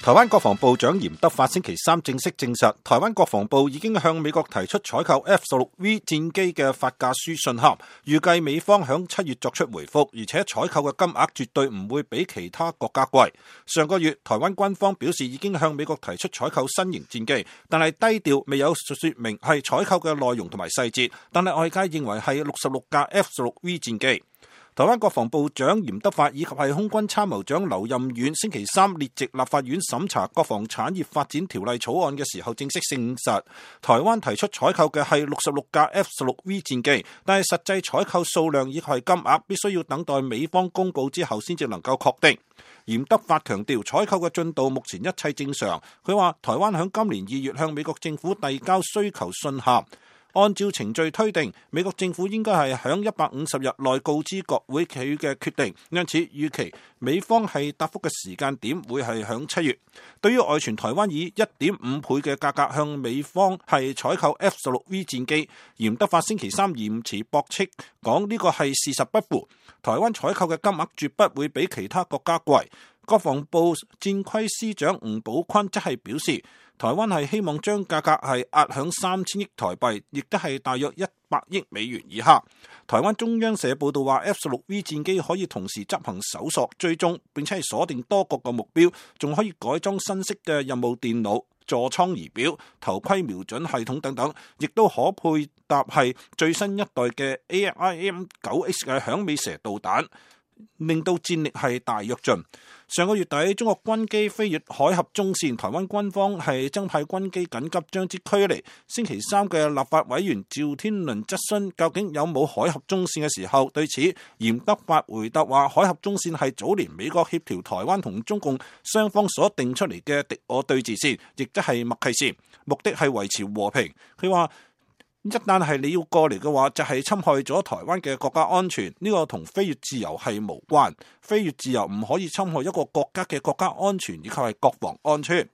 台灣國防部長嚴德發星期三正式證實，台灣國防部已經向美國提出採購 F-16V 戰機嘅發價書信函，預計美方響7月作出回覆，而且採購嘅金額絕對唔會比其他國家貴。上個月，台灣軍方表示已經向美國提出採購新型戰機，但係低調，未有說明係採購嘅內容同埋細節，但係外界認為係66架 F-16V 戰機。台灣國防部長嚴德發以及係空軍參謀長劉任遠星期三列席立法院審查國防產業發展條例草案嘅時候，正式證實台灣提出採購嘅係66架 F-16V 戰機，但係實際採購數量以及係金額必須要等待美方公佈之後先至能夠確定。嚴德發強調採購嘅進度目前一切正常。佢話台灣響今年2月向美國政府遞交需求信函，按照程序推定，美國政府應該係響150日內告知國會佢嘅決定，因此預期美方係答覆嘅時間點會係響7月。對於外傳台灣以 1.5 倍嘅價格向美方係採購 F-16V 戰機，嚴德發星期三嚴詞駁斥，講呢個係事實不符。台灣採購嘅金額絕不會比其他國家貴。國防部戰規司長吳寶坤則係表示，台灣係希望將價格係壓響3000億台幣，亦都係大約100億美元以下。台灣中央社報道話 F-16V 戰機可以同時執行搜索、追蹤，並且係鎖定多國嘅目標，仲可以改裝新式嘅任務電腦、座艙儀表、頭盔瞄準系統等等，亦都可配搭係最新一代嘅 AIM-9X 嘅響尾蛇導彈，令到戰力係大躍進。上個月底，中國軍機飛越海峽中線，台灣軍方係增派軍機緊急將之驅離。星期三嘅立法委員趙天麟質詢究竟有冇海峽中線嘅時候，對此嚴德發回答話：海峽中線係早年美國協調台灣同中共雙方所定出嚟嘅敵我對峙線，亦即係默契線，目的係維持和平。佢話，一旦係你要過嚟嘅話，就係侵害咗台灣嘅國家安全，呢個同飛越自由係無關。飛越自由唔可以侵害一個國家嘅國家安全以及係國防安全。